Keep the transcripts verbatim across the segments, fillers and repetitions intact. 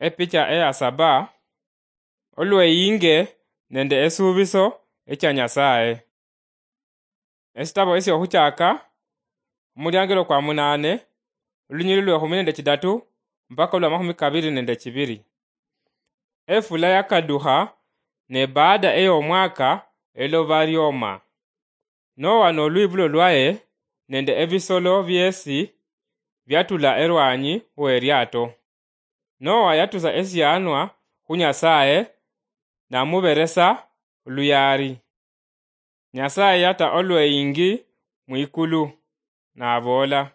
Epicha eya saba, olweyinge nende esuubiso echa Nyasaye. Esitabo esyohuchaka, omuliangelo kwa munane, olunyili lwehumi nende chidatu mpaka olwa mahumi kabiri nende chibiri. Efula yakadukha, ne baada ey'omwaka eloba lyoma. Noa nolwibulo lwaye nende ebisolo byesi byatula erwanyi w'eriato. Noa yatusa esianwa khu Nyasaye, namuberesa luyari. Nyasaye yata olweyingi mwikulu, naboola,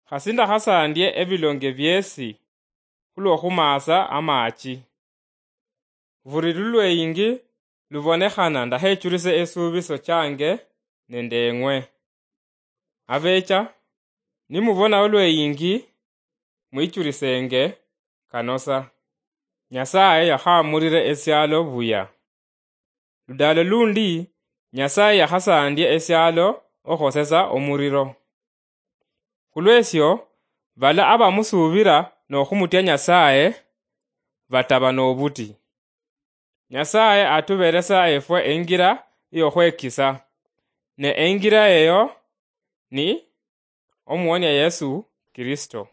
"Khasi ndakhasandie ebilonge biesi khulwo khumaasa amachi. Buri lulweyingi lubonekhana, ndakhechurise esuubiso change nende eng'we. Abecha, nimubona olweyingi, mwichurisenge kanosa." Nyasaye yakhamurire esialo buya. Ludalo lundi, Nyasaye yakhasandie esialo okhosesa omuriro. Khulwesyo, bala abamusuubira nokhumutya Nyasaye bataba nobuti. Nyasaye atuberesa efwe engira yokhwekisa, ne engira eyo ni Omuwonia Yesu Kristo.